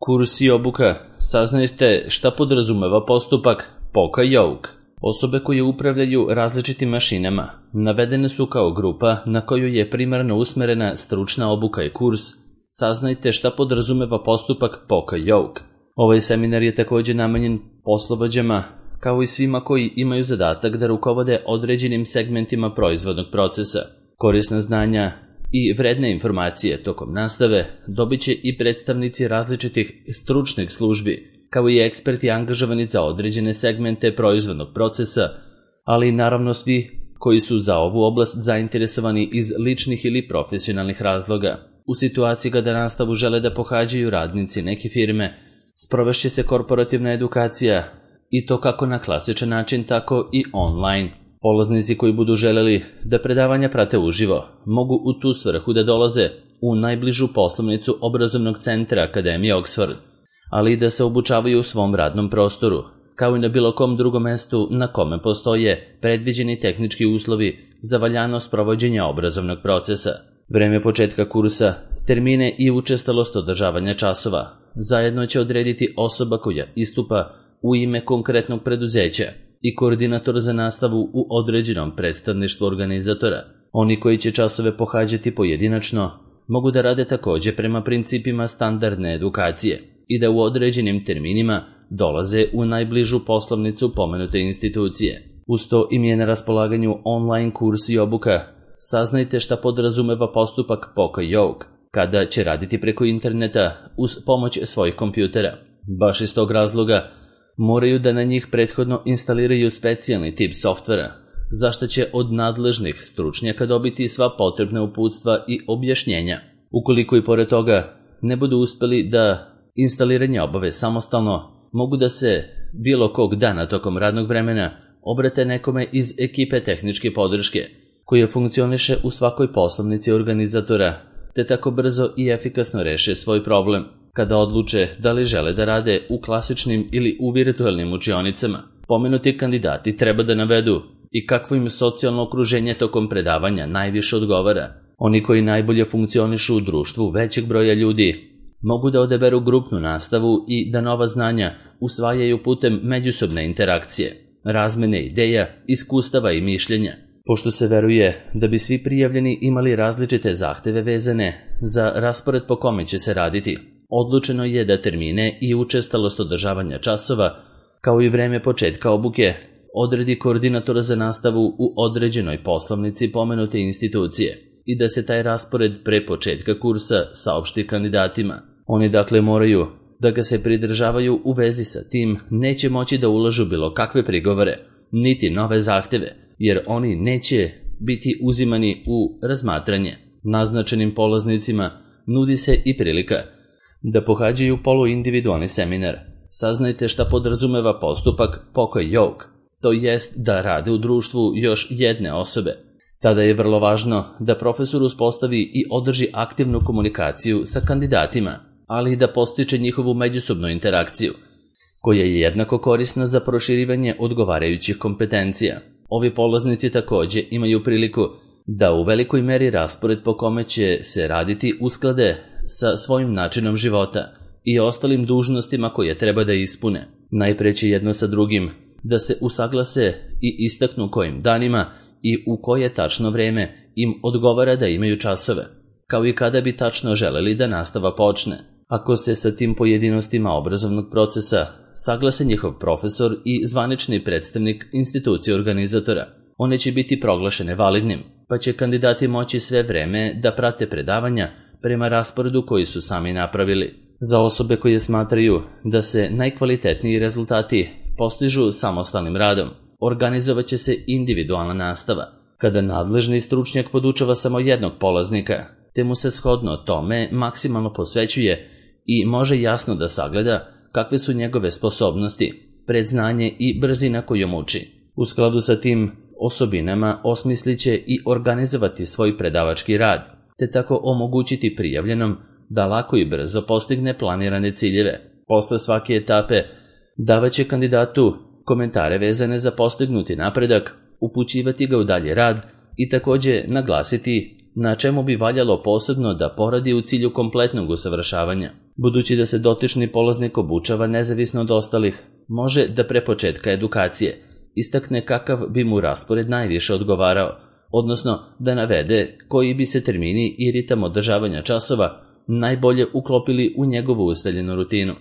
Kurs i obuka. Saznajte šta podrazumeva postupak POCA-YOUK. Osobe koje upravljaju različitim mašinama navedene su kao grupa na koju je primarno usmerena stručna obuka i kurs. Saznajte šta podrazumeva postupak POCA-YOUK. Ovaj seminar je također namenjen poslovođama, kao i svima koji imaju zadatak da rukovode određenim segmentima proizvodnog procesa. Korisna znanja i vredne informacije tokom nastave dobit će i predstavnici različitih stručnih službi, kao i eksperti angažovani za određene segmente proizvodnog procesa, ali i naravno svi koji su za ovu oblast zainteresovani iz ličnih ili profesionalnih razloga. U situaciji kada nastavu žele da pohađaju radnici neke firme, sprovešće se korporativna edukacija i to kako na klasičan način, tako i online. Polaznici koji budu želeli da predavanja prate uživo mogu u tu svrhu da dolaze u najbližu poslovnicu obrazovnog centra Akademije Oxford, ali i da se obučavaju u svom radnom prostoru, kao i na bilo kom drugom mestu na kome postoje predviđeni tehnički uslovi za valjanost provođenja obrazovnog procesa. Vreme početka kursa, termine i učestalost održavanja časova zajedno će odrediti osoba koja istupa u ime konkretnog preduzeća i koordinator za nastavu u određenom predstavništvu organizatora. Oni koji će časove pohađati pojedinačno mogu da rade također prema principima standardne edukacije i da u određenim terminima dolaze u najbližu poslovnicu pomenute institucije. Uz to im je na raspolaganju online kurs i obuka. Saznajte šta podrazumeva postupak POCA-YOUK kada će raditi preko interneta uz pomoć svojih kompjutera. Baš iz tog razloga moraju da na njih prethodno instaliraju specijalni tip softvera, za što će od nadležnih stručnjaka dobiti sva potrebna uputstva i objašnjenja. Ukoliko i pored toga ne budu uspeli da instaliranje obave samostalno, mogu da se bilo kog dana tokom radnog vremena obrate nekome iz ekipe tehničke podrške, koja funkcioniše u svakoj poslovnici organizatora, te tako brzo i efikasno reše svoj problem. Kada odluče da li žele da rade u klasičnim ili u virtualnim učionicama, pomenuti kandidati treba da navedu i kakvo im socijalno okruženje tokom predavanja najviše odgovara. Oni koji najbolje funkcionišu u društvu većeg broja ljudi mogu da odaberu grupnu nastavu i da nova znanja usvajaju putem međusobne interakcije, razmene ideja, iskustava i mišljenja. Pošto se veruje da bi svi prijavljeni imali različite zahteve vezane za raspored po kome će se raditi, odlučeno je da termine i učestalost održavanja časova, kao i vreme početka obuke, odredi koordinator za nastavu u određenoj poslovnici pomenute institucije i da se taj raspored pre početka kursa saopšti kandidatima. Oni dakle moraju da ga se pridržavaju. U vezi sa tim neće moći da ulažu bilo kakve prigovore, niti nove zahteve, jer oni neće biti uzimani u razmatranje. Naznačenim polaznicima nudi se i prilika da pohađaju poluindividualni seminar. Saznajte šta podrazumeva postupak POCA-YOUK, to jest da rade u društvu još jedne osobe. Tada je vrlo važno da profesor uspostavi i održi aktivnu komunikaciju sa kandidatima, ali i da postiče njihovu međusobnu interakciju, koja je jednako korisna za proširivanje odgovarajućih kompetencija. Ovi polaznici također imaju priliku da u velikoj meri raspored po kome će se raditi usklade sa svojim načinom života i ostalim dužnostima koje treba da ispune. Najpre će jedno sa drugim da se usaglase i istaknu kojim danima i u koje tačno vreme im odgovara da imaju časove, kao i kada bi tačno želeli da nastava počne. Ako se sa tim pojedinostima obrazovnog procesa saglase njihov profesor i zvanični predstavnik institucije organizatora, one će biti proglašene validnim, pa će kandidati moći sve vreme da prate predavanja prema rasporedu koji su sami napravili. Za osobe koje smatraju da se najkvalitetniji rezultati postižu samostalnim radom, organizovat će se individualna nastava, kada nadležni stručnjak podučava samo jednog polaznika, te mu se shodno tome maksimalno posvećuje i može jasno da sagleda kakve su njegove sposobnosti, predznanje i brzina kojom uči. U skladu sa tim osobinama osmislit će i organizovati svoj predavački rad, te tako omogućiti prijavljenom da lako i brzo postigne planirane ciljeve. Posle svake etape davaće kandidatu komentare vezane za postignuti napredak, upućivati ga u dalje rad i također naglasiti na čemu bi valjalo posebno da poradi u cilju kompletnog usavršavanja. Budući da se dotični polaznik obučava nezavisno od ostalih, može da pre početka edukacije istakne kakav bi mu raspored najviše odgovarao, odnosno da navede koji bi se termini i ritam održavanja časova najbolje uklopili u njegovu ustaljenu rutinu.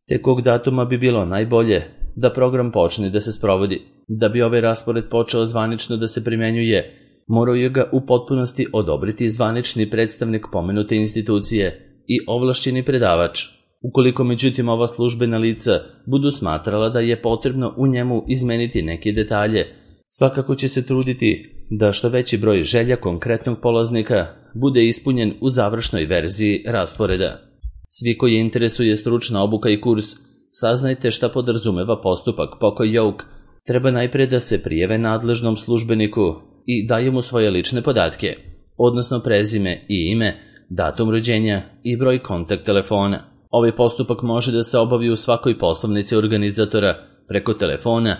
Te kog datuma bi bilo najbolje da program počne da se sprovodi. Da bi ovaj raspored počeo zvanično da se primenjuje, morao je ga u potpunosti odobriti zvanični predstavnik pomenute institucije i ovlašćeni predavač. Ukoliko međutim ova službena lica budu smatrala da je potrebno u njemu izmeniti neke detalje, svakako će se truditi da što veći broj želja konkretnog polaznika bude ispunjen u završnoj verziji rasporeda. Svi koji interesuje stručna obuka i kurs, saznajte šta podrazumeva postupak Poka-Yoke, treba najpre da se prijave nadležnom službeniku i daje mu svoje lične podatke, odnosno prezime i ime, datum rođenja i broj kontakt telefona. Ovaj postupak može da se obavi u svakoj poslovnici organizatora preko telefona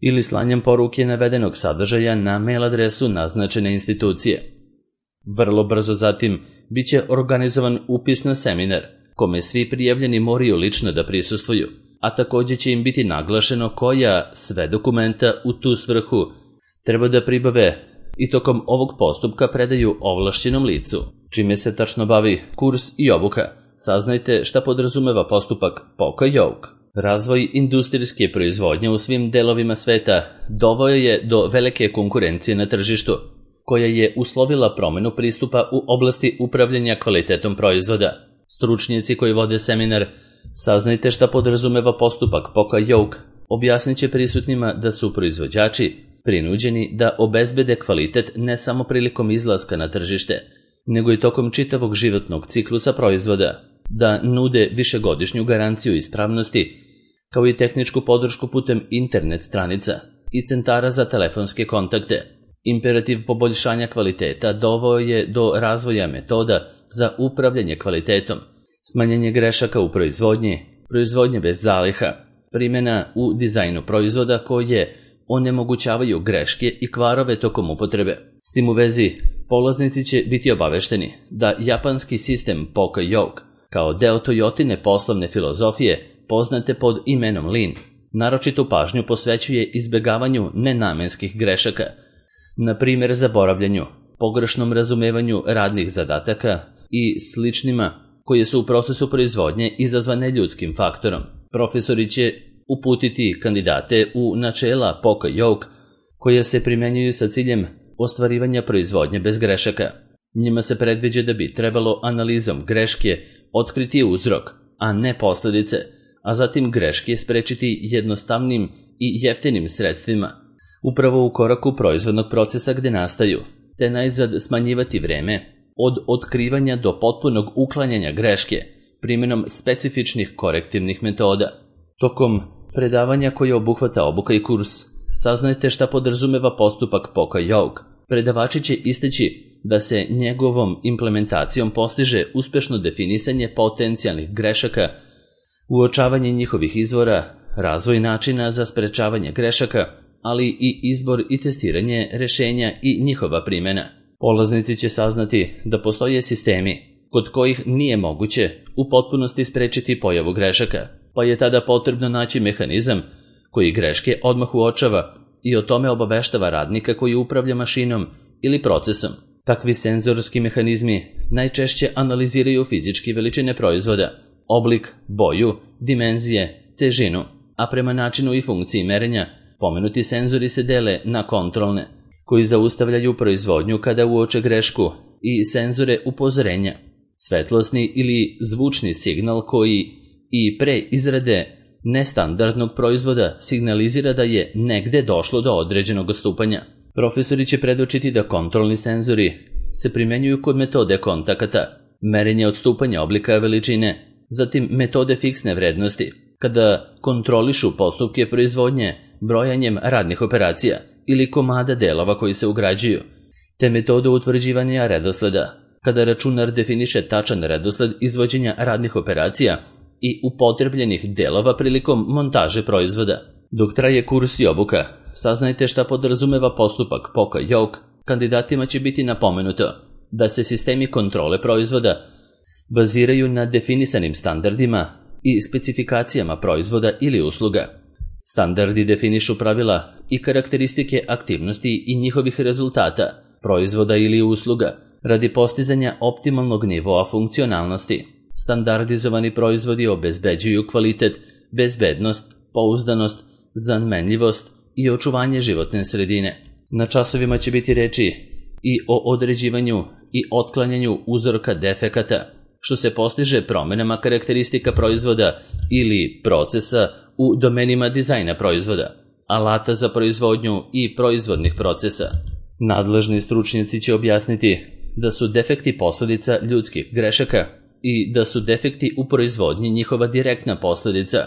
ili slanjem poruke navedenog sadržaja na mail adresu naznačene institucije. Vrlo brzo zatim biće organizovan upis na seminar, kome svi prijavljeni moraju lično da prisustvuju, a također će im biti naglašeno koja sve dokumenta u tu svrhu treba da pribave i tokom ovog postupka predaju ovlašćenom licu. Čime se tačno bavi kurs i obuka, saznajte šta podrazumeva postupak Poka-Yoke. Razvoj industrijske proizvodnje u svim delovima sveta doveo je do velike konkurencije na tržištu, koja je uslovila promenu pristupa u oblasti upravljanja kvalitetom proizvoda. Stručnjaci koji vode seminar Saznajte šta podrazumeva postupak Poka-Yoke objasnit će prisutnima da su proizvođači prinuđeni da obezbede kvalitet ne samo prilikom izlaska na tržište, nego i tokom čitavog životnog ciklusa proizvoda, da nude višegodišnju garanciju ispravnosti, kao i tehničku podršku putem internet stranica i centara za telefonske kontakte. Imperativ poboljšanja kvaliteta doveo je do razvoja metoda za upravljanje kvalitetom, smanjenje grešaka u proizvodnje bez zaliha, primjena u dizajnu proizvoda koje onemogućavaju greške i kvarove tokom upotrebe. S tim u vezi, polaznici će biti obavešteni da japanski sistem Poka-Yoke, kao deo Toyotine poslovne filozofije, poznate pod imenom Lean, naročitu pažnju posvećuje izbegavanju nenamenskih grešaka, na primjer zaboravljanju, pogrešnom razumevanju radnih zadataka i sličnima koje su u procesu proizvodnje izazvane ljudskim faktorom. Profesori će uputiti kandidate u načela Poka-Yoke koja se primjenjuju sa ciljem ostvarivanja proizvodnje bez grešaka. Njima se predviđa da bi trebalo analizom greške otkriti uzrok, a ne posljedice, a zatim greške sprečiti jednostavnim i jeftinim sredstvima, upravo u koraku proizvodnog procesa gde nastaju, te najzad smanjivati vreme od otkrivanja do potpunog uklanjanja greške primjenom specifičnih korektivnih metoda. Tokom predavanja koje obuhvata obuka i kurs, saznajte šta podrazumeva postupak Poka-Yoke. Predavači će isteći da se njegovom implementacijom postiže uspešno definisanje potencijalnih grešaka, uočavanje njihovih izvora, razvoj načina za sprečavanje grešaka, ali i izbor i testiranje rešenja i njihova primjena. Polaznici će saznati da postoje sistemi kod kojih nije moguće u potpunosti sprečiti pojavu grešaka, pa je tada potrebno naći mehanizam koji greške odmah uočava i o tome obaveštava radnika koji upravlja mašinom ili procesom. Takvi senzorski mehanizmi najčešće analiziraju fizičke veličine proizvoda, oblik, boju, dimenzije, težinu, a prema načinu i funkciji merenja pomenuti senzori se dele na kontrolne, koji zaustavljaju proizvodnju kada uoče grešku, i senzore upozorenja, svetlosni ili zvučni signal koji i pre izrade nestandardnog proizvoda signalizira da je negde došlo do određenog odstupanja. Profesori će predočiti da kontrolni senzori se primenjuju kod metode kontakata, merenje odstupanja oblika veličine, zatim metode fiksne vrednosti, kada kontrolišu postupke proizvodnje brojanjem radnih operacija ili komada delova koji se ugrađuju, te metode utvrđivanja redosleda, kada računar definiše tačan redosled izvođenja radnih operacija i upotrebljenih delova prilikom montaže proizvoda. Dok traje kurs i obuka, saznajte šta podrazumeva postupak Poka-Yoke. Kandidatima će biti napomenuto da se sistemi kontrole proizvoda baziraju na definisanim standardima i specifikacijama proizvoda ili usluga. Standardi definišu pravila i karakteristike aktivnosti i njihovih rezultata, proizvoda ili usluga, radi postizanja optimalnog nivoa funkcionalnosti. Standardizovani proizvodi obezbeđuju kvalitet, bezbednost, pouzdanost, zamenljivost i očuvanje životne sredine. Na časovima će biti reči i o određivanju i otklanjanju uzorka defekata, što se postiže promenama karakteristika proizvoda ili procesa u domenima dizajna proizvoda, alata za proizvodnju i proizvodnih procesa. Nadležni stručnjaci će objasniti da su defekti posledica ljudskih grešaka i da su defekti u proizvodnji njihova direktna posledica.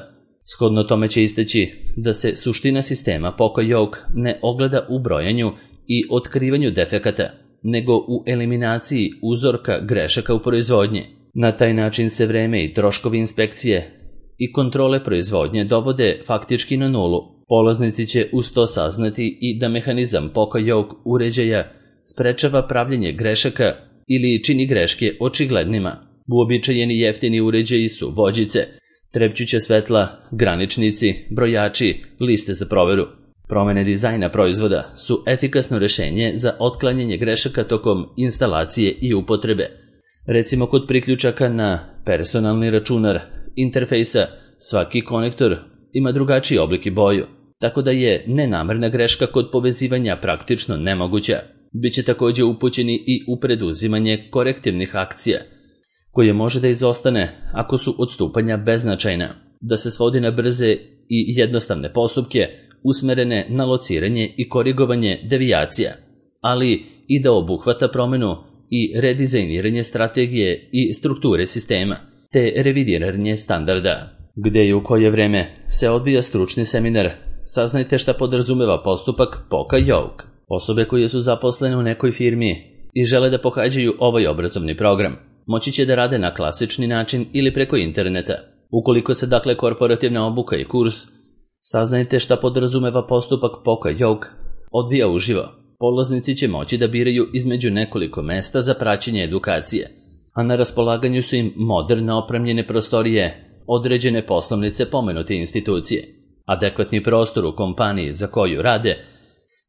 Shodno tome će istaći da se suština sistema Poka-Yoke ne ogleda u brojanju i otkrivanju defekata, nego u eliminaciji uzorka grešaka u proizvodnji. Na taj način se vreme i troškovi inspekcije i kontrole proizvodnje dovode faktički na nulu. Polaznici će uz to saznati i da mehanizam Poka-Yoke uređaja sprečava pravljenje grešaka ili čini greške očiglednima. Uobičajeni jeftini uređaji su vođice, trepćuća svetla, graničnici, brojači, liste za proveru. Promene dizajna proizvoda su efikasno rešenje za otklanjanje grešaka tokom instalacije i upotrebe. Recimo kod priključaka na personalni računar interfejsa svaki konektor ima drugačiji oblik i boju, tako da je nenamerna greška kod povezivanja praktično nemoguća. Biće također upućeni i u preduzimanje korektivnih akcija, koje može da izostane ako su odstupanja beznačajna, da se svodi na brze i jednostavne postupke usmerene na lociranje i korigovanje devijacija, ali i da obuhvata promenu i redizajniranje strategije i strukture sistema, te revidiranje standarda. Gde i u koje vreme se odvija stručni seminar, saznajte šta podrazumeva postupak Poka-Yoke. Osobe koje su zaposlene u nekoj firmi i žele da pohađaju ovaj obrazovni program, moći će da rade na klasični način ili preko interneta. Ukoliko se dakle korporativna obuka i kurs, saznajte šta podrazumeva postupak Poka-Yoke, odvija uživo. Polaznici će moći da biraju između nekoliko mesta za praćenje edukacije, a na raspolaganju su im moderno opremljene prostorije, određene poslovnice pomenute institucije, adekvatni prostor u kompaniji za koju rade,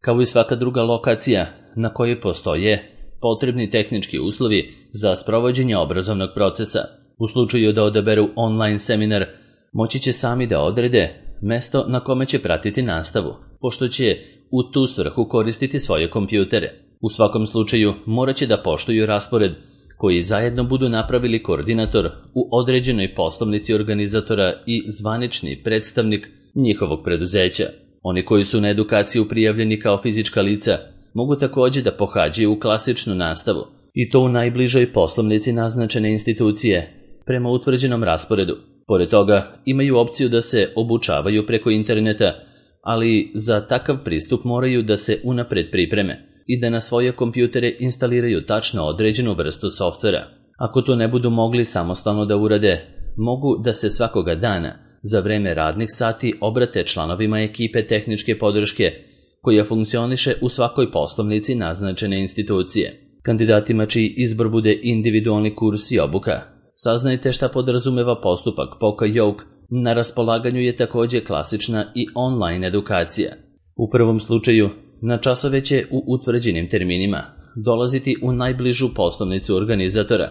kao i svaka druga lokacija na kojoj postoje potrebni tehnički uslovi za sprovođenje obrazovnog procesa. U slučaju da odaberu online seminar, moći će sami da odrede mesto na kome će pratiti nastavu, pošto će u tu svrhu koristiti svoje kompjutere. U svakom slučaju morat će da poštuju raspored koji zajedno budu napravili koordinator u određenoj poslovnici organizatora i zvanični predstavnik njihovog preduzeća. Oni koji su na edukaciju prijavljeni kao fizička lica mogu također da pohađaju klasičnu nastavu, i to u najbližoj poslovnici naznačene institucije prema utvrđenom rasporedu. Pored toga imaju opciju da se obučavaju preko interneta, ali za takav pristup moraju da se unapred pripreme i da na svoje kompjutere instaliraju tačno određenu vrstu softvera. Ako to ne budu mogli samostalno da urade, mogu da se svakoga dana za vreme radnih sati obrate članovima ekipe tehničke podrške koja funkcioniše u svakoj poslovnici naznačene institucije. Kandidatima čiji izbor bude individualni kurs i obuka, saznajte šta podrazumeva postupak Poka-Yoke. Na raspolaganju je također klasična i online edukacija. U prvom slučaju, na časove će u utvrđenim terminima dolaziti u najbližu poslovnicu organizatora,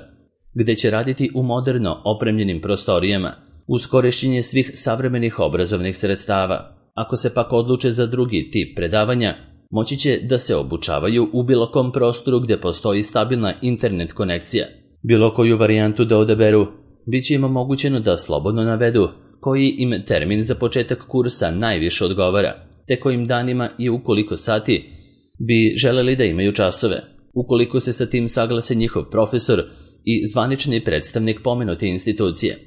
gde će raditi u moderno opremljenim prostorijama, uz korišćenje svih savremenih obrazovnih sredstava. Ako se pak odluče za drugi tip predavanja, moći će da se obučavaju u bilo kom prostoru gde postoji stabilna internet konekcija. Bilo koju varijantu da odaberu, bit će im omogućeno da slobodno navedu koji im termin za početak kursa najviše odgovara, te kojim danima i u koliko sati bi želeli da imaju časove. Ukoliko se sa tim saglase njihov profesor i zvanični predstavnik pomenute institucije,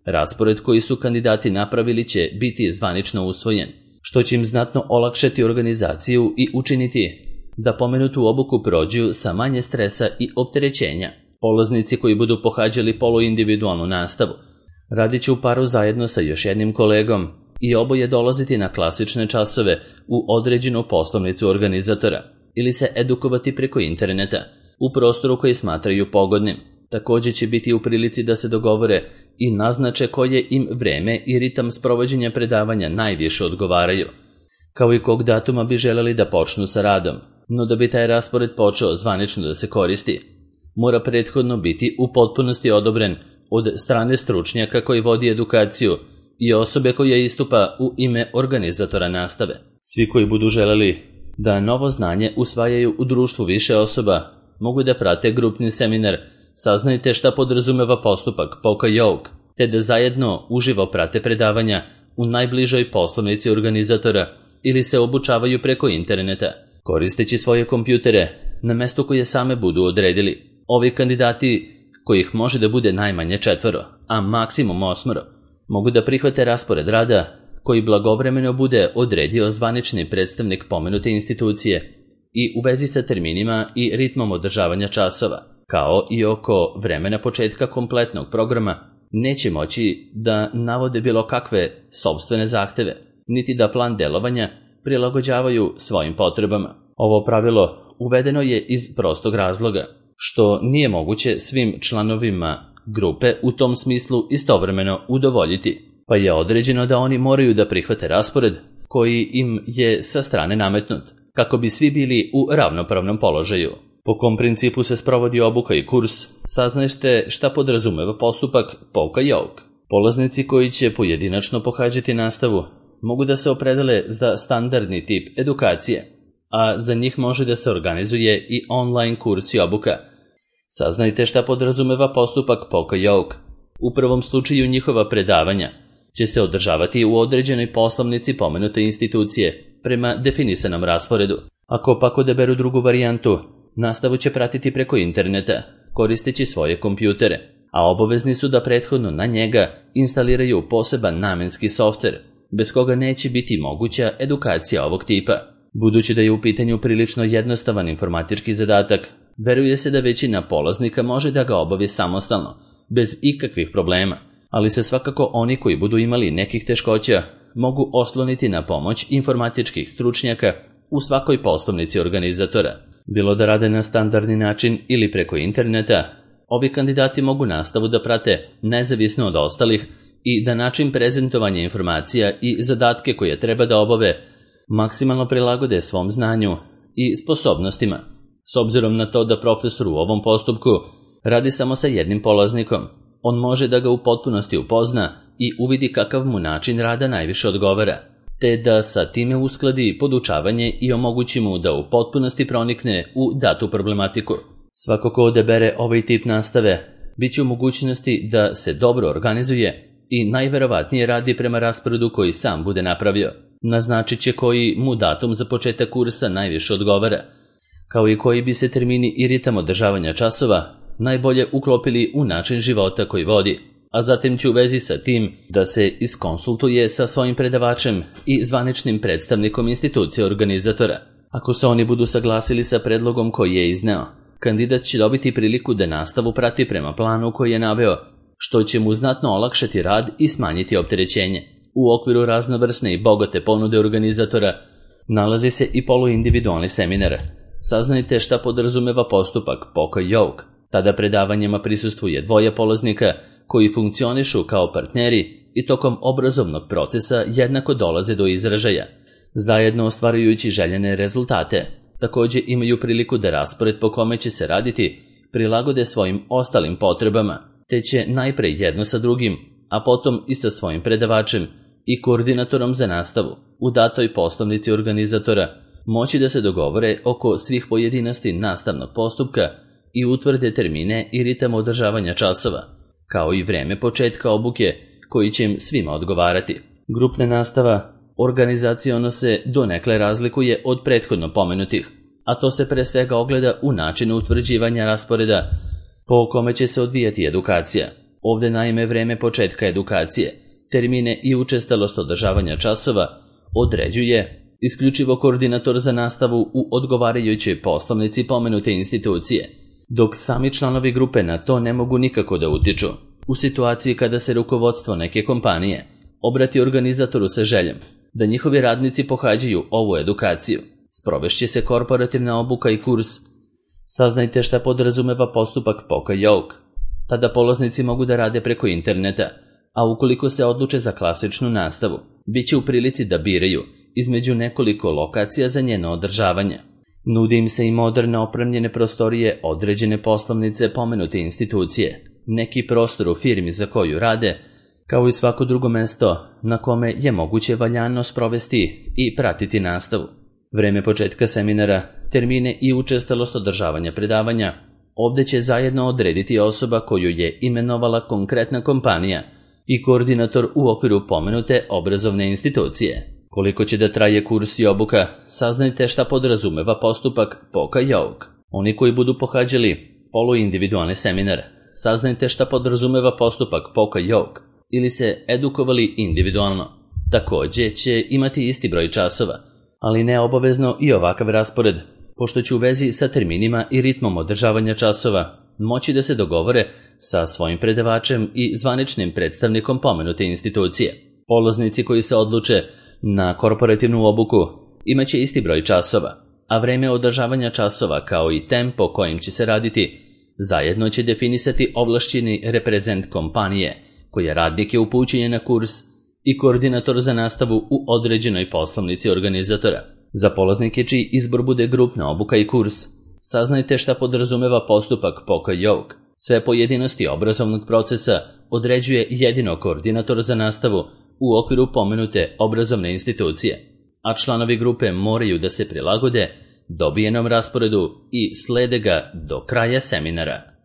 raspored koji su kandidati napravili će biti zvanično usvojen, što će im znatno olakšati organizaciju i učiniti da pomenutu obuku prođu sa manje stresa i opterećenja. Polaznici koji budu pohađali poluindividualnu nastavu radit će u paru zajedno sa još jednim kolegom i oboje dolaziti na klasične časove u određenu poslovnicu organizatora ili se edukovati preko interneta u prostoru koji smatraju pogodnim. Također će biti u prilici da se dogovore i naznače koje im vreme i ritam sprovođenja predavanja najviše odgovaraju, kao i kog datuma bi želeli da počnu sa radom. No da bi taj raspored počeo zvanično da se koristi, mora prethodno biti u potpunosti odobren od strane stručnjaka koji vodi edukaciju i osobe koja istupa u ime organizatora nastave. Svi koji budu želeli da novo znanje usvajaju u društvu više osoba mogu da prate grupni seminar Saznajte šta podrazumeva postupak Poka Yoke, te da zajedno uživo prate predavanja u najbližoj poslovnici organizatora ili se obučavaju preko interneta, koristeći svoje kompjutere na mesto koje same budu odredili. Ovi kandidati, kojih može da bude najmanje 4, a maksimum 8, mogu da prihvate raspored rada koji blagovremeno bude odredio zvanični predstavnik pomenute institucije i u vezi sa terminima i ritmom održavanja časova, kao i oko vremena početka kompletnog programa, neće moći da navode bilo kakve sopstvene zahteve, niti da plan delovanja prilagođavaju svojim potrebama. Ovo pravilo uvedeno je iz prostog razloga, što nije moguće svim članovima grupe u tom smislu istovremeno udovoljiti, pa je određeno da oni moraju da prihvate raspored koji im je sa strane nametnut, kako bi svi bili u ravnopravnom položaju. Po kom principu se sprovodi obuka i kurs, saznajte šta podrazumeva postupak Poka Yoke. Polaznici koji će pojedinačno pohađati nastavu mogu da se opredele za standardni tip edukacije, a za njih može da se organizuje i online kurs i obuka. Saznajte šta podrazumeva postupak Poka Yoke. U prvom slučaju njihova predavanja će se održavati u određenoj poslovnici pomenute institucije prema definisanom rasporedu. Ako pak odaberu drugu varijantu, nastavu će pratiti preko interneta, koristeći svoje kompjutere, a obavezni su da prethodno na njega instaliraju poseban namenski softver, bez koga neće biti moguća edukacija ovog tipa. Budući da je u pitanju prilično jednostavan informatički zadatak, veruje se da većina polaznika može da ga obavi samostalno, bez ikakvih problema, ali se svakako oni koji budu imali nekih teškoća mogu osloniti na pomoć informatičkih stručnjaka u svakoj poslovnici organizatora. Bilo da rade na standardni način ili preko interneta, ovi kandidati mogu nastavu da prate nezavisno od ostalih i da način prezentovanja informacija i zadatke koje treba da obave maksimalno prilagode svom znanju i sposobnostima. S obzirom na to da profesor u ovom postupku radi samo sa jednim polaznikom, on može da ga u potpunosti upozna i uvidi kakav mu način rada najviše odgovara, te da sa time uskladi podučavanje i omogući mu da u potpunosti pronikne u datu problematiku. Svako ko odabere ovaj tip nastave bit će u mogućnosti da se dobro organizuje i najverovatnije radi prema rasporedu koji sam bude napravio. Naznačit će koji mu datum za početak kursa najviše odgovara, kao i koji bi se termini i ritam održavanja časova najbolje uklopili u način života koji vodi, a zatim će u vezi sa tim da se iskonsultuje sa svojim predavačem i zvaničnim predstavnikom institucije organizatora. Ako se oni budu saglasili sa predlogom koji je izneo, kandidat će dobiti priliku da nastavu prati prema planu koji je naveo, što će mu znatno olakšati rad i smanjiti opterećenje. U okviru raznovrsne i bogate ponude organizatora nalazi se i poluindividualni seminar. Saznajte šta podrazumeva postupak Poka Yoke. Tada predavanjima prisustvuje 2 polaznika koji funkcionišu kao partneri i tokom obrazovnog procesa jednako dolaze do izražaja, zajedno ostvarujući željene rezultate. Također imaju priliku da raspored po kome će se raditi prilagode svojim ostalim potrebama, te će najpre jedno sa drugim, a potom i sa svojim predavačem i koordinatorom za nastavu u datoj poslovnici organizatora moći da se dogovore oko svih pojedinosti nastavnog postupka i utvrde termine i ritam održavanja časova, kao i vreme početka obuke koji će im svima odgovarati. Grupna nastava organizaciono se donekle razlikuje od prethodno pomenutih, a to se pre svega ogleda u načinu utvrđivanja rasporeda po kome će se odvijati edukacija. Ovde naime vreme početka edukacije, termine i učestalost održavanja časova određuje isključivo koordinator za nastavu u odgovarajućoj poslovnici pomenute institucije, dok sami članovi grupe na to ne mogu nikako da utiču. U situaciji kada se rukovodstvo neke kompanije obrati organizatoru sa željom da njihovi radnici pohađaju ovu edukaciju, sprovešće se korporativna obuka i kurs. Saznajte šta podrazumeva postupak Poka Yoke. Tada polaznici mogu da rade preko interneta, a ukoliko se odluče za klasičnu nastavu, bit će u prilici da biraju između nekoliko lokacija za njeno održavanje. Nudi im se i moderne opremljene prostorije određene poslovnice pomenute institucije, neki prostor u firmi za koju rade, kao i svako drugo mesto na kome je moguće valjano sprovesti i pratiti nastavu. Vreme početka seminara, termine i učestalost održavanja predavanja ovde će zajedno odrediti osoba koju je imenovala konkretna kompanija i koordinator u okviru pomenute obrazovne institucije. Koliko će da traje kurs i obuka, saznajte šta podrazumeva postupak POCA-YOG. Oni koji budu pohađali poluindividualni seminar, saznajte šta podrazumeva postupak POCA-YOG ili se edukovali individualno. Takođe će imati isti broj časova, ali ne obavezno i ovakav raspored, pošto će u vezi sa terminima i ritmom održavanja časova moći da se dogovore sa svojim predavačem i zvaničnim predstavnikom pomenute institucije. Polaznici koji se odluče na korporativnu obuku imaće isti broj časova, a vreme održavanja časova kao i tempo kojim će se raditi zajedno će definisati ovlašćeni reprezent kompanije koja radnike upućuje na kurs i koordinator za nastavu u određenoj poslovnici organizatora. Za polaznike čiji izbor bude grupna obuka i kurs, saznajte šta podrazumeva postupak POCA-YOG. Sve pojedinosti obrazovnog procesa određuje jedino koordinator za nastavu u okviru pomenute obrazovne institucije, a članovi grupe moraju da se prilagode dobijenom rasporedu i slede ga do kraja seminara.